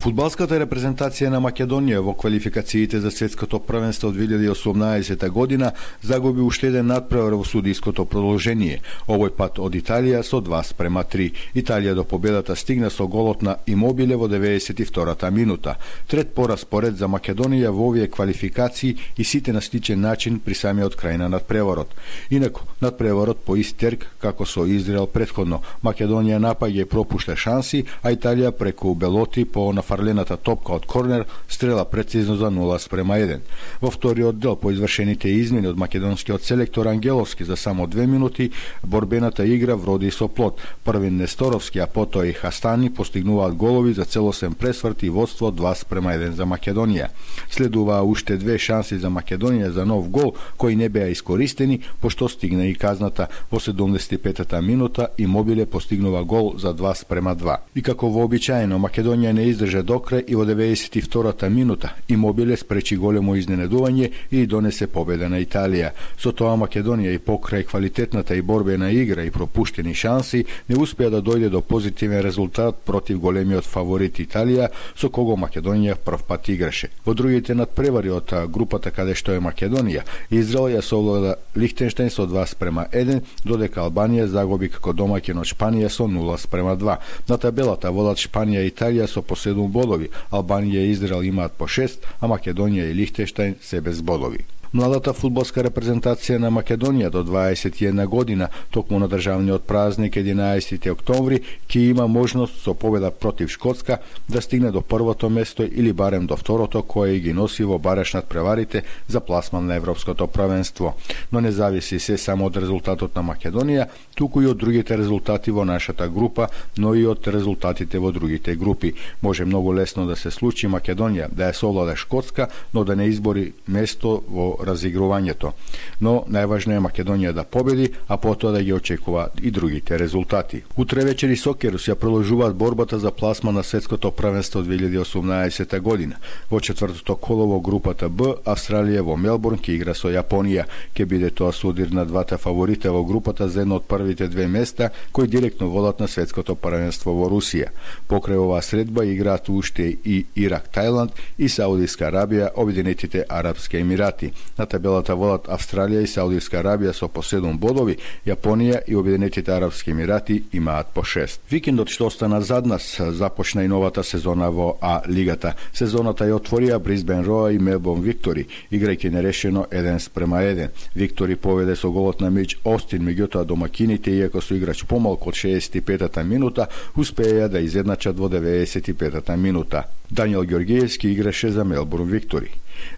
Фудбалската репрезентација на Македонија во квалификациите за светското првенство од 2018 година загуби уште еден надпревар во судиското продолжение, овој пат од Италија со 2:3. Италија до победата стигна со голот на Имобиле во 92-та минута. Трет пораспоред за Македонија во овие квалификации и сите на сличен начин при самиот крај на надпреварот. Инаку, надпреварот по ист терк како со Израел претходно. Македонија напаѓа и пропушта шанси, а Италија преку Белоти по фарлената топка од корнер стрела прецизно за 0:1. Во вториот дел по извршените измени од македонскиот селектор Ангеловски за само 2 минути, борбената игра вроди со плод. Првин Несторовски, а потоа и Хастани постигнуваат голови за целосен пресврт и водство 2:1 за Македонија. Следуваа уште две шанси за Македонија за нов гол, кои не беа искористени, пошто стигна и казната. Во 75-та минута Имобиле постигнува гол за 2:2. И како вообичаено, Македонија не издржа до крај и во 92-та минута Имобиле спречи големо изненадување и донесе победа на Италија. Со тоа Македонија и покрај квалитетната и борбена игра и пропуштени шанси не успеа да дојде до позитивен резултат против големиот фаворит Италија, со кого Македонија прв пат играше. Во другите надпревари од групата каде што е Македонија, Израел ја совлада Лихтенштеин со 2:1, додека Албанија загуби како домаќин од Шпанија со 0:2. На табелата водат Шпанија и Италија со по 7 бодови, Албанија и Израел имаат по 6, а Македонија и Лихтенштеин се без бодови. Младата фудбалска репрезентација на Македонија до 21 година, токму на државниот празник 11 октомври, ќе има можност со победа против Шкотска да стигне до првото место или барем до второто, кое ги носи во бараш надпреварите за пласман на Европското првенство. Но не зависи се само од резултатот на Македонија, туку и од другите резултати во нашата група, но и од резултатите во другите групи. Може многу лесно да се случи Македонија да ја совлада Шкотска, но да не избори место во разигрувањето. Но најважно е Македонија да победи, а потоа да ги очекува и другите резултати. Утре вечер и Сокерус ја продолжуваат борбата за пласма на светското првенство 2018 година. Во четвртото коло во групата Б, Австралија во Мелбурн ќе игра со Јапонија. Ќе биде тоа судир на двата фаворита во групата за едно од првите две места кои директно водат на светското првенство во Русија. Покрај оваа средба играат уште и Ирак, Тајланд и Саудиска Арабија, Обединетите Арапски Емирати. На табелата водат Австралија и Саудиска Арабија со по 7 бодови, Јапонија и Обединетите Арапски Емирати имаат по 6. Викендот што остана зад нас започна и новата сезона во А лигата. Сезоната ја отворија Брисбен Роа и Мелбурн Виктори, играјќи нерешено 1:1. Виктори поведе со голот на Мич Остин, меѓутоа домакините, иако со играч помалку од 65-та минута, успеја да изедначат во 95-та минута. Даниел Ѓоргиевски играше за Мелбурн Виктори.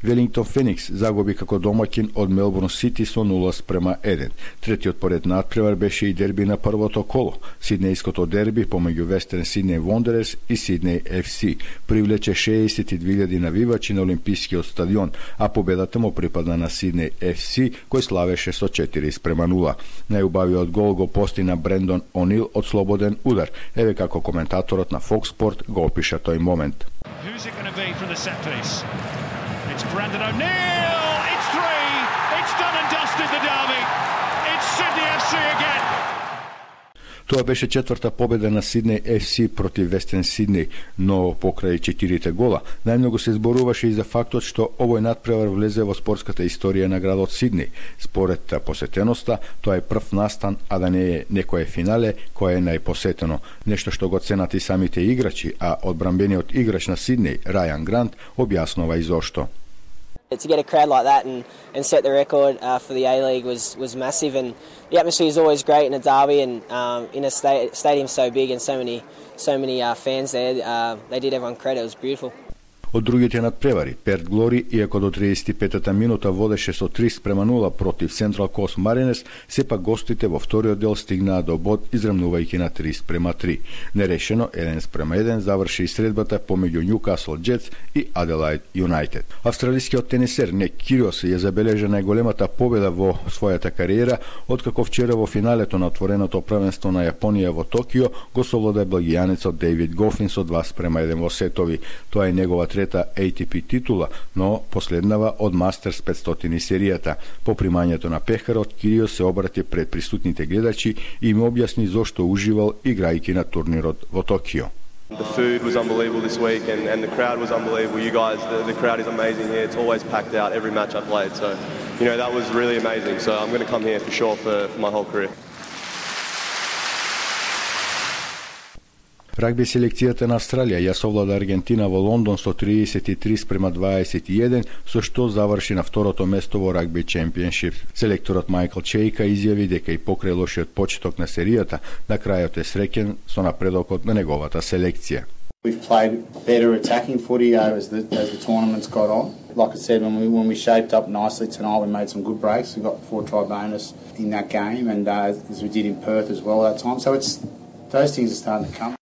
Велингтон Феникс загуби како домаќин од Мелбурн Сити со 0:1. Третиот поред надпревар беше и дерби на првото коло. Сиднејското дерби помеѓу Вестерн Сиднеј Вондерерс и Сиднеј FC привлече 62.000 навивачи на Олимпискиот стадион, а победата му припадна на Сиднеј FC, кој славеше со 4:0. Најубавиот гол го постигна Брендон Онил од слободен удар. Еве како коментаторот на Fox Sport го опиша тој момент. Who's it going to be from the set piece? It's Brandon O'Neill. It's 3. It's done and dusted the derby. It's Sydney FC again. Тоа беше четврта победа на Сиднеј FC против Вестен Сиднеј, но покрај 4 гола, најмногу се зборуваше и за фактот што овој надпревар влезе во спортската историја на градот Сиднеј. Според посетеноста, тоа е прв настан, а да не е некое финале кое е најпосетено. Нешто што го ценат и самите играчи, а одбранбениот играч на Сиднеј, Рајан Грант, објаснува и зошто. To get a crowd like that and set the record for the A-League was massive, and the atmosphere is always great in a derby, and in a stadium so big and so many fans there, they did everyone credit. It was beautiful. Од другите надпревари, Перт Глори, иако до 35-та минута водеше со 3:0 против Централ Кост Маринес, сепак гостите во вториот дел стигнаа до бод израмнувајќи на 3:3. Нерешено 1:1 заврши и средбата помеѓу Ньюкасл Джетс и Аделајд Юнајтед. Австралискиот тенисер Ник Кириос ја забележа најголемата победа во својата кариера, откако вчера во финалето на отвореното првенство на Јапонија во Токио го совлада белгијанецот Дејвид Гофин со 2:1 во сетови. Тоа е негова ATP титула, но последнава од Мастерс 500 серијата. По примањето на пехарот, Кириос се обрати пред присутните гледачи и им објасни зошто уживал играјќи на турнирот во Токио. The food was unbelievable this week and the crowd was unbelievable. You guys, the crowd is amazing here. It's always packed out every match I played. So, that was really amazing. So I'm going to come here for sure for my whole career. Рагби селекцијата на Австралија ја совлада Аргентина во Лондон со 33-21, со што заврши на второто место во Рагби Чемпионшип. Селекторот Майкл Чејка изјави дека и покрај лошиот почеток на серијата, на крајот е среќен со напредокот на неговата селекција. We've played better attacking footy as the tournament's got on. Like I said, when we shaped up nicely tonight, we made some good breaks. We got 4-try bonus in that game, and as we did in Perth as well that time. So those things are starting to come.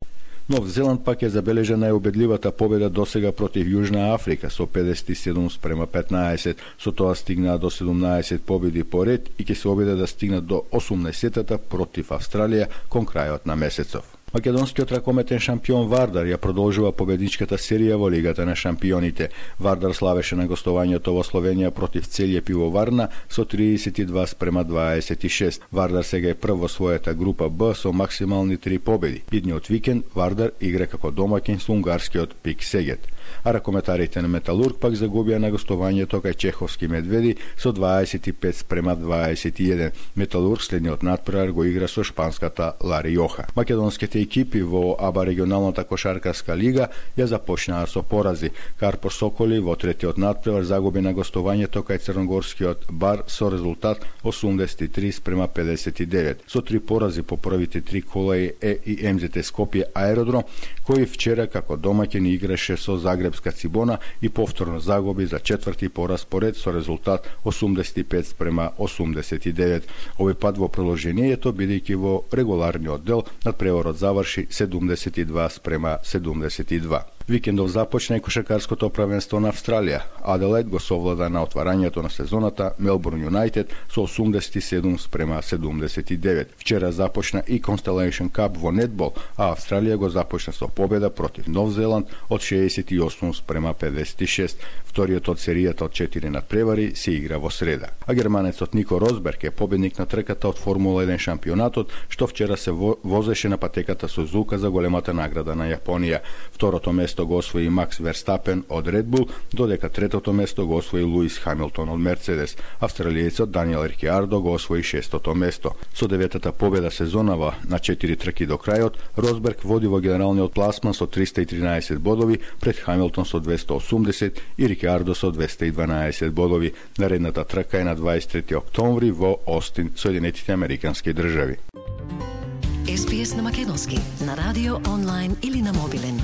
Нов Зеланд пак ја забележа најубедливата победа досега против Јужна Африка со 57-15. Со тоа стигнаа до 17 победи по ред и ќе се обиде да стигнат до 18-тата против Австралија кон крајот на месецов. Македонскиот ракометен шампион Вардар ја продолжува победничката серија во Лигата на шампионите. Вардар славеше на гостувањето во Словенија против Целје Пивоварна со 32-26. Вардар сега е прв во својата група Б со максимални 3 победи. Идниот викенд Вардар игра како домаќин со унгарскиот Пик Сегет. А ракометарите на Металург пак загубија на гостувањето кај Чеховски Медведи со 25-21. Металург следниот натпревар го игра со шпанската Лари Јоха. Македонските екипи во АБА регионалната кошаркарска лига ја започнаа со порази. Карпо Соколи во третиот натпревар загуби на гостувањето кај Црногорскиот Бар со резултат 83-59. Со 3 порази по првите 3 колаи и МЗТ Скопје Аеродром, кој вчера како домаќин играше со Загребска Цибона и повторно загуби за четврти пораз поред со резултат 85-89. Овој пат во продолжението, бидејќи во регуларниот дел надпреварот заврши 72-72. Викендов започна и кошаркарското правенство на Австралија. Аделајд го совлада на отварањето на сезоната Мелбурн Юнайтед со 87-79. Вчера започна и Constellation Cup во нетбол, а Австралија го започна со победа против Нов Зеланд од 68-56. Вториот од серијата од 4 надпревари се игра во среда. А германецот Нико Росберг е победник на трката од Формула 1 шампионатот, што вчера се возеше на патеката Сузука за големата награда на Јапонија. Второто место го освои Макс Верстапен од Red Bull, додека третото место го освои Луис Хамилтон од Мерцедес. Австралијецот Даниел Рикиардо го освои шестото место. Со деветата победа сезонава на 4 трки до крајот, Росберг води во генералниот пласман со 313 бодови пред Хамилтон со 280 и Рикиардо со 212 бодови. Наредната трка е на 23 октомври во Остин, Соединетите Американски држави. SPS на македонски, на радио, онлайн или на мобилен.